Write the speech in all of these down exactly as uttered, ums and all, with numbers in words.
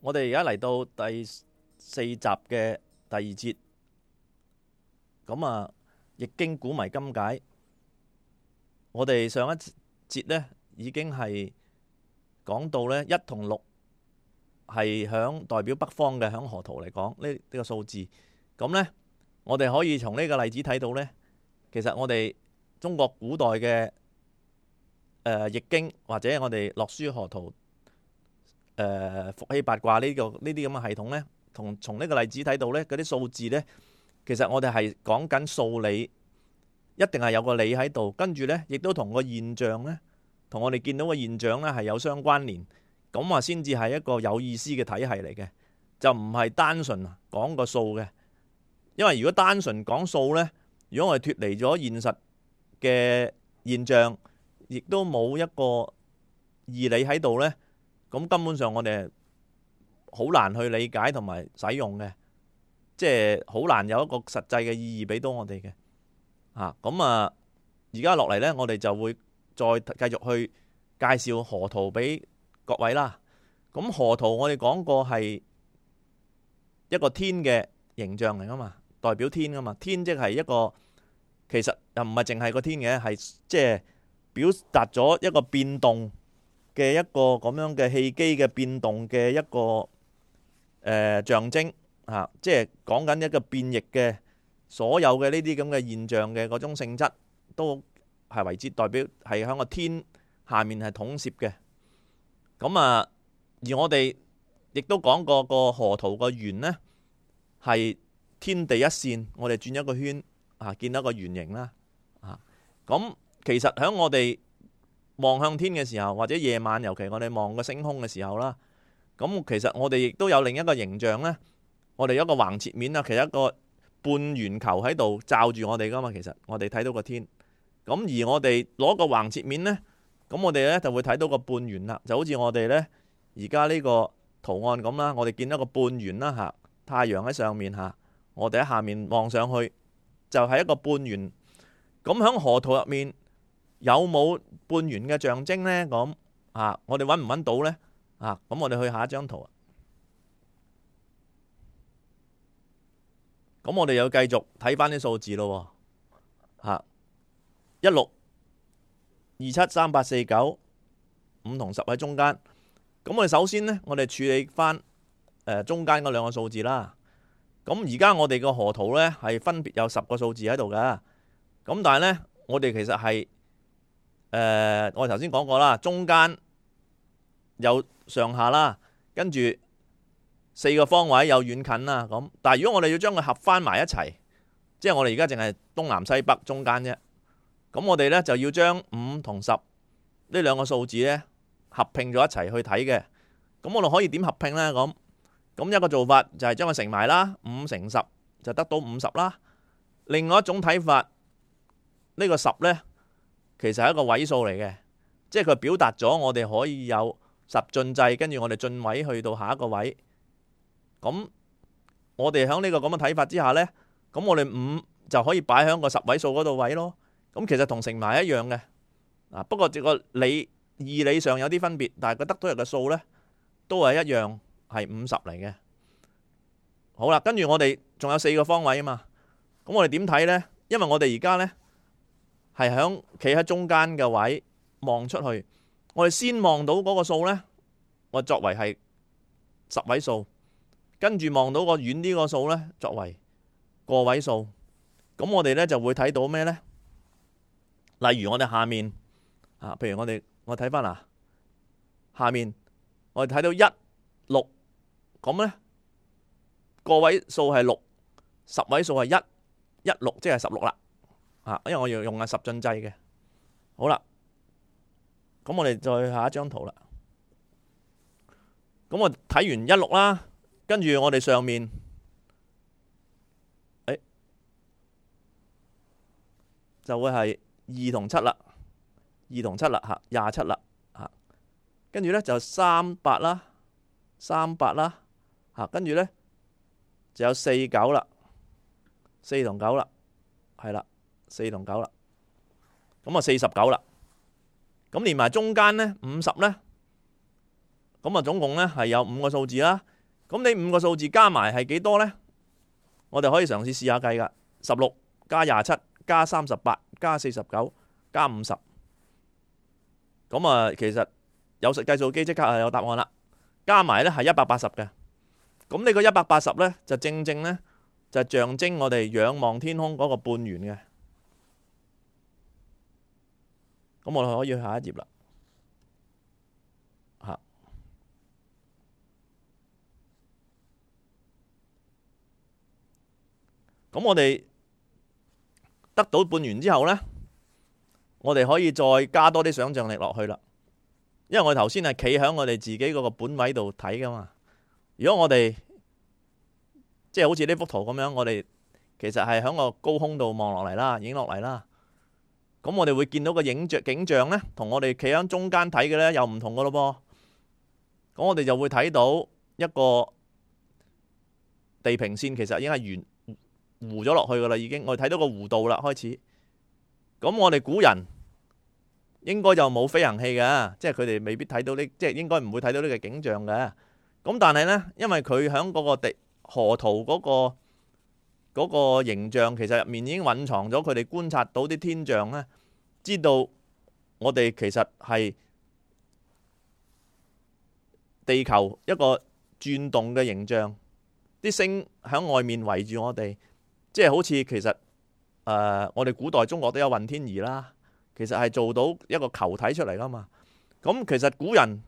我哋而家嚟到第四集嘅第二節，咁啊，易經古謎今解。我哋上一節呢已經係講到呢一同六係響代表北方嘅，響河圖嚟講呢呢個數字。咁呢，我哋可以從呢個例子睇到呢，其實我哋中國古代嘅誒易經或者我哋洛書河圖。誒、呃、伏羲八卦呢、呢個呢啲咁嘅系統呢，同從呢個例子睇到呢嗰啲數字呢，其實我哋係講緊數理，一定係有個理喺度，跟住呢，亦都同個現象呢，同我哋見到嘅現象呢係有相關聯，咁話先至係一個有意思嘅體系嚟嘅，就唔係單純講個數嘅。因為如果單純講數呢，如果我哋脫離咗現實嘅現象，亦都冇一個義理喺度呢。咁根本上我哋好難去理解同埋使用嘅，即係好難有一個實際嘅意義俾到我哋嘅。啊，咁啊，而家落嚟呢，我哋就會再繼續去介紹河圖俾各位啦。咁河圖我哋講過係一個天嘅形象嚟噶嘛，代表天噶嘛。天即係一個，其實又唔係淨係個天嘅，係即係表達咗一個變動嘅一個咁樣嘅氣機嘅變動嘅一個誒、呃、象徵啊，即係講緊一個變異嘅所有嘅呢啲咁嘅現象嘅嗰種性質，都係為之代表係喺個天下面係統攝嘅。咁啊，而我哋亦都講過個河圖個圓呢，係天地一線，我哋轉一個圈啊，見到一個圓形啦啊。咁其實喺我哋望向天嘅時候，或者夜晚，尤其我哋望個星空嘅時候啦，咁其實我哋亦都有另一個形象呢。我哋有一個橫切面啊，其實一個半圓球喺度罩住我哋噶嘛。其實我哋睇到個天，咁而我哋攞個橫切面呢，咁我哋呢就會睇到個半圓啦。就好似我哋呢而家呢個圖案咁啦，我哋見到個半圓啦嚇，太陽喺上面嚇，我哋喺下面望上去就係一個半圓。咁喺河圖入面有冇半圓嘅象徵呢？咁啊，我哋揾唔揾到呢？啊，咁我哋去下一張圖啊。咁我哋又繼續睇翻啲數字咯。嚇，一六、二七、三八、四九、五同十喺中間。咁我哋首先呢，我哋處理翻誒中間嗰兩個數字啦。咁而家我哋個河圖呢，係分別有十個數字喺度㗎。咁但係呢，我哋其實係誒、呃，我哋頭先講過啦，中間有上下啦，跟住四個方位有遠近啦，咁。但係如果我哋要將佢合翻埋一齊，即係我哋而家淨係東南西北中間啫。咁我哋呢就要將五同十呢兩個數字呢合併咗一齊去睇嘅。咁我哋可以點合併呢？咁咁一個做法就係將佢乘埋啦，五乘十就得到五十啦。另外一種睇法，呢、呢個十呢，其實係一個位數嚟嘅，即係佢表達咗我哋可以有十進制，跟住我哋進位去到下一個位。咁我哋喺呢個咁嘅睇法之下呢，咁我哋五就可以擺喺個十位數嗰度位咯。咁其實同乘埋一樣嘅，啊不過個理義理上有啲分別，但係佢得到入嘅數呢，都係一樣係五十嚟嘅。好啦，跟住我哋仲有四個方位啊嘛，咁我哋點睇呢？因為我哋而家呢，係響企喺中間嘅位望出去，我哋先望到嗰個數呢，我作為係十位數，跟住望到個遠啲個數呢，作為個位數。咁我哋呢就會睇到咩呢？例如我哋下面啊，譬如我哋我睇翻啊，下面我哋睇到一六，咁呢個位數係六，十位數係一，一六即係十六啦。啊，因為我要用係十進制嘅。好啦，咁我哋再下一張圖啦。咁我睇完一六啦，跟住我哋上面，誒，就會係二同七啦，二同七啦嚇，廿七啦嚇。跟住咧就三八啦，三八啦嚇。跟住咧就有四九啦，四同九啦，係啦。四同九啦，咁啊四十九啦，咁連埋中間呢五十呢，咁啊總共呢係有五個數字啦。咁你五個數字加埋係幾多呢？我哋可以嘗試試下計噶，十六加廿七加三十八加四十九加五十。咁啊，其實有計數機即刻係有答案啦。加埋呢係一百八十嘅。咁呢個一百八十呢，就正正呢，就象徵我哋仰望天空嗰個半圓嘅。咁我哋可以去下一頁啦。嚇，咁我哋得到半圓之後呢，我哋可以再加多啲想像力落去啦。因為我哋頭先係企喺我哋自己嗰個本位度睇噶嘛。如果我哋即係好似呢幅圖咁樣，我哋其實係喺個高空度望落嚟啦，影落嚟啦。咁我哋會見到個影像景象呢，同我哋企喺中間睇嘅呢又唔同噶咯噃。咁我哋就會睇到一個地平線，其實已經係圓弧咗落去噶啦，已經我哋睇到個弧度啦，開始。咁我哋古人應該就冇飛行器嘅，即係佢哋未必睇到呢，即係應該唔會睇到呢個景象嘅。咁但係呢，因為佢喺嗰個地河圖嗰個嗰個形象，其實入面已經蘊藏咗佢哋觀察到啲天象呢，知道我哋其實係地球一個轉動嘅形象，啲星喺外面圍住我哋，即係好似其實誒、呃、我哋古代中國都有運天儀啦，其實係做到一個球體出嚟噶嘛。咁其實古人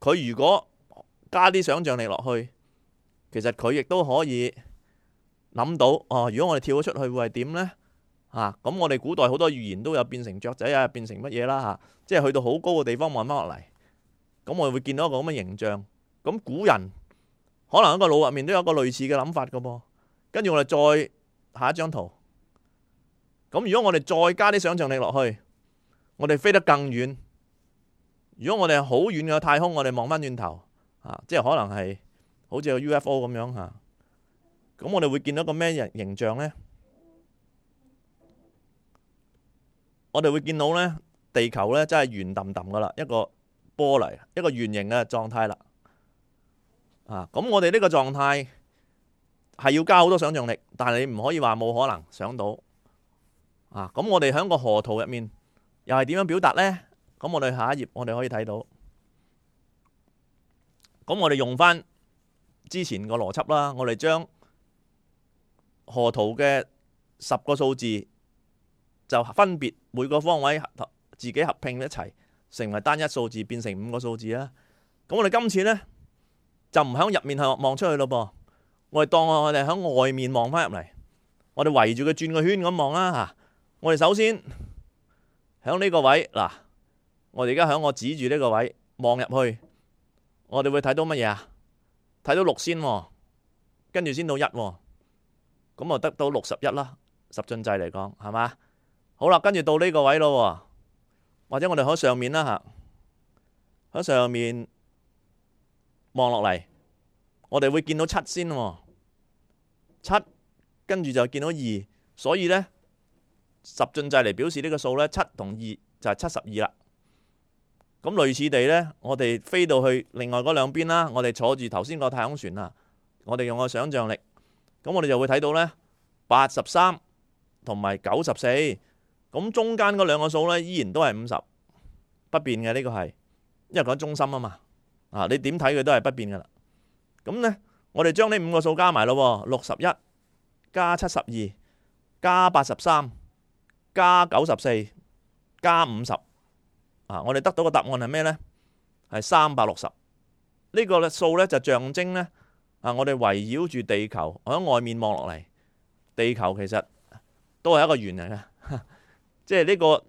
佢如果加啲想像力落去，其實佢亦都可以諗到哦。如果我哋跳咗出去會係點呢？嚇、啊、咁我哋古代好多預言都有變成雀仔啊，變成乜嘢啦嚇，即係去到好高嘅地方望翻落嚟，咁我哋會見到一個咁嘅形象。咁古人可能喺個腦入面都有個類似嘅諗法嘅噃。跟住我哋再下一張圖。咁如果我哋再加啲想像力落去，我哋飛得更遠。如果我哋好遠嘅太空，我哋望翻轉頭。啊，即係可能係好似個 U F O 咁樣嚇，咁我哋會見到個咩形形象呢？我哋會見到呢，地球呢真係圓揼揼噶啦，一個波嚟，一個圓形嘅狀態啦。啊，咁我哋呢個狀態係要加好多想像力，但係你唔可以話冇可能想到。啊，咁我哋喺個河圖入面又係點樣表達呢？咁我哋下一頁我哋可以睇到。咁我哋用翻之前個邏輯啦，我哋將河圖嘅十個數字就分別每個方位自己合併一齊，成為單一數字，變成五個數字啦。咁我哋今次呢，就唔喺入面係望出去咯噃，我哋當我哋喺外面望翻入嚟，我哋圍住佢轉個圈咁望啦嚇。我哋首先喺呢個位嗱，我哋而家喺我指住呢個位望入去。我哋會睇到乜嘢啊？睇到六先，跟住先到一，咁啊得到六十一啦。十進制嚟講，係嘛？好啦，跟住到呢個位咯，或者我哋喺上面啦吓，喺上面望落嚟，我哋會見到七先，七，跟住就見到二，所以呢，十進制嚟表示呢個數呢，七同二就係七十二啦。咁類似地呢，我哋飛到去另外嗰兩邊啦，我哋坐住頭先個太空船啊，我哋用個想像力，咁我哋就會睇到呢，八十三同埋九十四，咁中間嗰兩個數呢，依然都係五十，不變嘅。呢個係，因為講中心啊嘛，啊你點睇佢都係不變噶啦。咁呢，我哋將呢五個數加埋咯，六十一加七十二加八十三加九十四加五十。啊！我哋得到個答案係咩呢？係三百六十。呢個數呢，就象徵呢，啊！我哋圍繞住地球，我喺外面望落嚟，地球其實都係一個圓嚟嘅，即係呢個。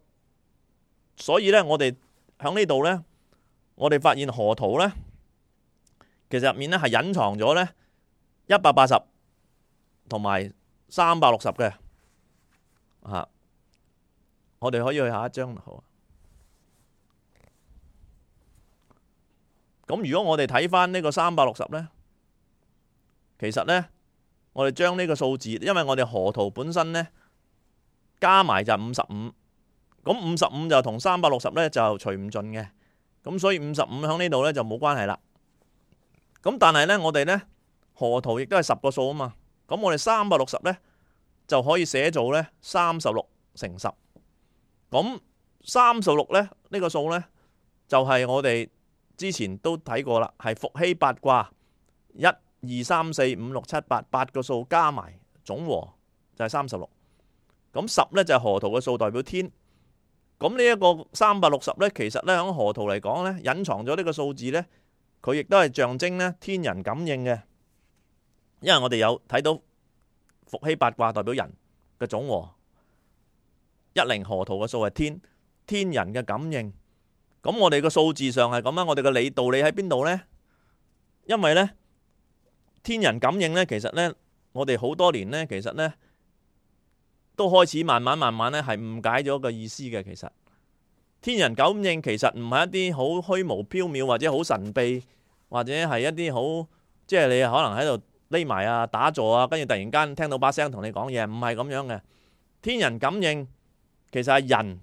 所以呢，我哋喺呢度呢，我哋發現河圖呢，其實入面呢係隱藏咗呢一百八十同埋三百六十嘅。啊！我哋可以去下一張圖。咁如果我哋睇翻呢個三百六十呢，其實呢，我哋將呢個數字，因為我哋河圖本身呢，加埋就五十五，咁五十五就同三百六十呢就除唔盡嘅，咁所以五十五喺呢度呢就冇關係啦。咁但係呢，我哋呢河圖亦都係十個數啊嘛。咁我哋三百六十呢，就可以寫做呢三十六乘十。咁三十六呢，呢、呢個數呢，就係、是、我哋之前都睇過啦，係伏羲八卦一二三四五六七八八個數加埋總和就係三十六。咁十呢，就係、是、河圖嘅數，代表天。咁呢一個三百六十呢，其實呢，喺河圖嚟講呢，隱藏咗呢個數字呢，佢亦都係象徵呢天人感應嘅。因為我哋有睇到伏羲八卦代表人嘅總和，一零河圖嘅數係天，天人嘅感應。咁我哋個數字上係咁啊，我哋嘅理道理喺邊度呢？因為呢，天人感應呢，其實呢，我哋好多年呢，其實呢，都開始慢慢慢慢呢係誤解咗個意思嘅。其實天人感應其實唔係一啲好虛無縹緲或者好神秘，或者係一啲好即係你可能喺度匿埋啊打坐啊，跟住突然間聽到把聲同你講嘢，唔係咁樣嘅。天人感應其實係人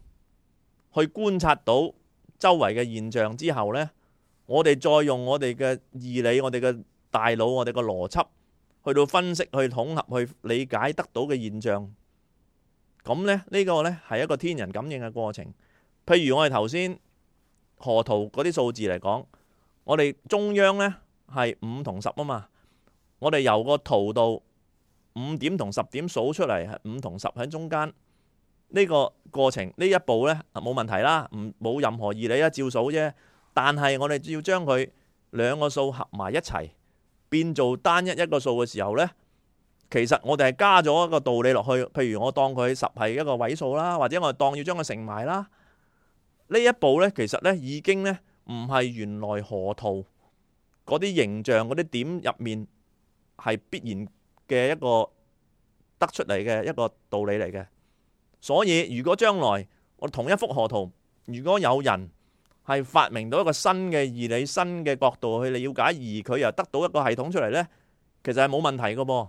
去觀察到周圍嘅現象之後呢，我哋再用我哋嘅義理、我哋嘅大腦、我哋嘅邏輯去到分析、去統合、去理解得到嘅現象。咁呢，呢個呢係一個天人感應嘅過程。譬如我哋頭先河圖嗰啲數字嚟講，我哋中央呢係五同十啊嘛，我哋由個圖度五點同十點數出嚟，係五同十喺中間。呢個過程呢一步呢冇問題啦，唔冇任何義理啊，照數啫。但係我哋要將佢兩個數合埋一齊變做單一一個數嘅時候呢，其實我哋係加咗一個道理落去。譬如我當佢十係一個位數啦，或者我當要將佢乘埋啦。呢一步呢，其實呢已經呢唔係原來河圖嗰啲形象嗰啲點入面係必然嘅一個得出嚟嘅一個道理嚟嘅。所以如果將來我同一幅河圖，如果有人係發明到一個新嘅義理、新嘅角度去了解，而佢又得到一個系統出嚟呢，其實係冇問題嘅噃。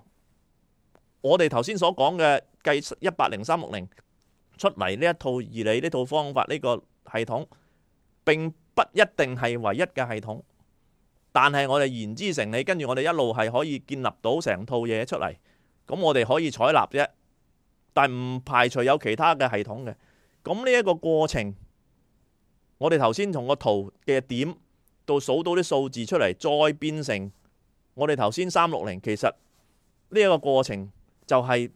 我哋頭先所講嘅計一八零三六零出嚟呢一套義理、呢套方法、呢個系統，並不一定係唯一嘅系統，但係我哋言之成理，跟住我哋一路係可以建立到成套嘢出嚟，咁我哋可以採納啫。但唔排除有其他嘅系統嘅。咁呢一個過程，我哋頭先從個圖嘅點到數到啲數字出嚟，再變成我哋頭先三六零，其實呢一個過程就係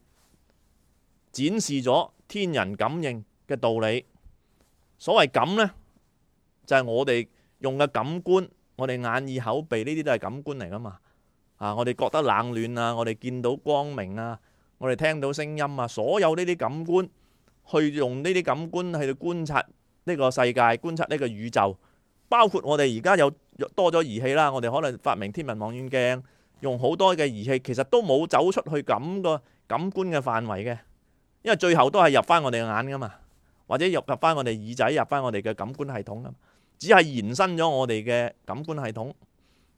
展示咗天人感應嘅道理。所謂感呢，就係我哋用嘅感官，我哋眼耳口鼻呢啲都係感官嚟噶嘛。啊，我哋覺得冷暖啊，我哋見到光明啊，我哋聽到聲音啊，所有呢啲感官，去用呢啲感官去觀察呢個世界，觀察呢個宇宙。包括我哋而家有多咗儀器啦，我哋可能發明天文望遠鏡，用好多嘅儀器，其實都冇走出去咁個感官嘅範圍嘅，因為最後都係入翻我哋嘅眼噶嘛，或者入入翻我哋耳仔，入翻我哋嘅感官系統噶嘛，只係延伸咗我哋嘅感官系統。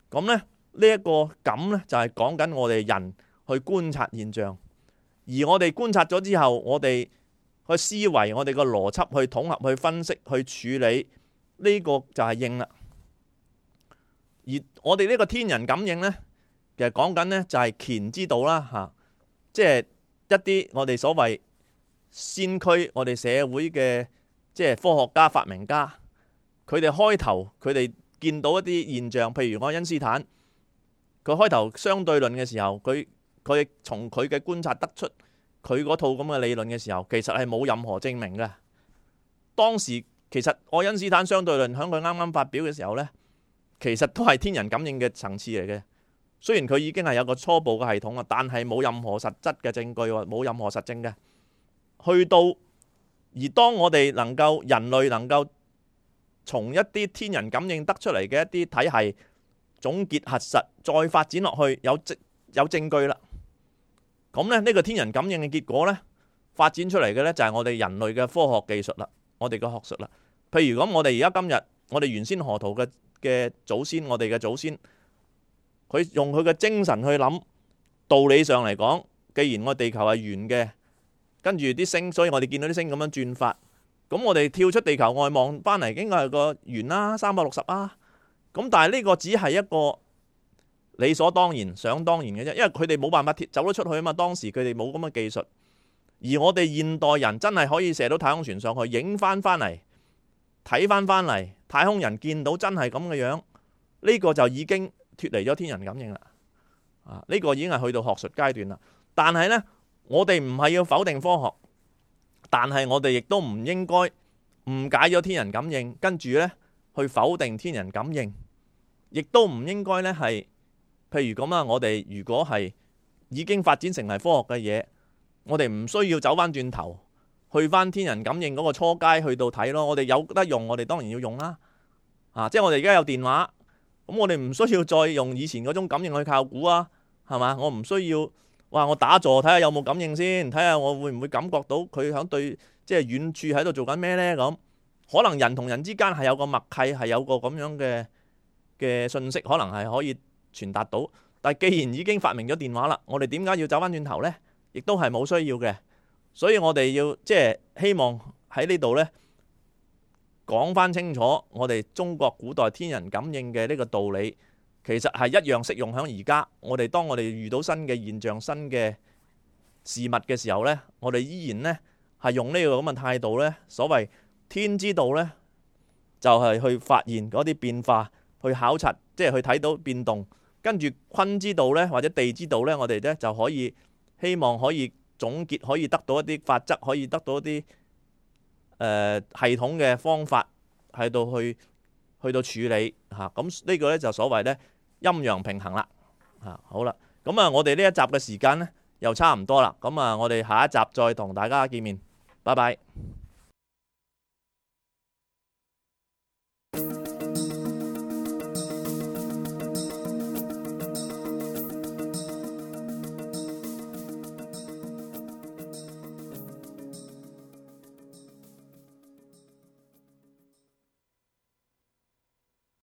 咁咧呢一個感咧就係講緊我哋人去觀察現象。而我哋觀察咗之後，我哋去思維，我哋個邏輯去統合、去分析、去處理，呢個就係應啦。而我哋呢個天人感應呢，其實講緊呢就係乾之道啦，嚇，即係一啲我哋所謂先驅，我哋社會嘅即係科學家、發明家，佢哋開頭佢哋見到一啲現象，譬如愛因斯坦，佢開頭相對論嘅時候，佢佢從佢嘅觀察得出佢嗰套咁嘅理論嘅時候，其實係冇任何證明嘅。當時其實愛因斯坦相對論喺佢啱啱發表嘅時候呢，其實都係天人感應嘅層次嚟嘅。雖然佢已經係有個初步嘅系統啊，但係冇任何實質嘅證據，冇任何實證嘅。去到而當我哋能夠人類能夠從一啲天人感應得出嚟嘅一啲體系總結核實，再發展落去有證有證據啦。咁咧呢個天人感應嘅結果呢，發展出嚟嘅呢，就係我哋人類嘅科學技術啦，我哋嘅學術啦。譬如咁，我哋而家今日我哋原先河圖嘅嘅祖先，我哋嘅祖先，佢用佢嘅精神去諗，道理上嚟講，既然我地球係圓嘅，跟住啲星，所以我哋見到啲星咁樣轉發，咁我哋跳出地球外望翻嚟，應該係個圓啦，三百六十啊。咁但係呢個只係一個理所當然、想當然嘅啫，因為佢哋冇辦法走得出去啊嘛。當時佢哋冇咁嘅技術，而我哋現代人真係可以射到太空船上去，影翻翻嚟，睇翻翻嚟，太空人見到真係咁嘅樣，呢個就已經脫離咗天人感應啦。啊，呢個已經係去到學術階段啦。但係呢，我哋唔係要否定科學，但係我哋亦都唔應該誤解咗天人感應，跟住呢去否定天人感應，亦都唔應該呢係。譬如咁啊，我哋如果係已經發展成為科學嘅嘢，我哋唔需要走翻轉頭去翻天人感應嗰個初階去到睇咯。我哋有得用，我哋當然要用啦。啊，即係我哋而家有電話，咁我哋唔需要再用以前嗰種感應去靠估啊，係嘛？我唔需要哇，我打坐睇下有冇感應先，睇下我會唔會感覺到佢響對即係遠處喺度做緊咩呢？咁可能人同人之間係有個默契，係有個咁樣嘅嘅信息，可能係可以傳達到，但係既然已經發明咗電話啦，我哋點解要走翻轉頭呢？亦都係冇需要嘅，所以我哋要即係希望喺呢度呢講翻清楚，我哋中國古代天人感應嘅呢個道理，其實係一樣適用響而家。我哋當我哋遇到新嘅現象、新嘅事物嘅時候呢，我哋依然呢係用呢個咁嘅態度呢，所謂天之道呢，就係去發現嗰啲變化，去考察，即係去睇到變動。跟住坤之道呢，或者地之道呢，我哋呢就可以希望可以總結，可以得到一啲法則，可以得到一啲誒、呃、系統嘅方法，喺度去去到處理嚇。咁、啊、呢個呢，就所謂呢陰陽平衡啦嚇、啊。好啦，咁啊，我哋呢一集嘅時間呢又差唔多啦。咁啊，我哋下一集再同大家見面，拜拜。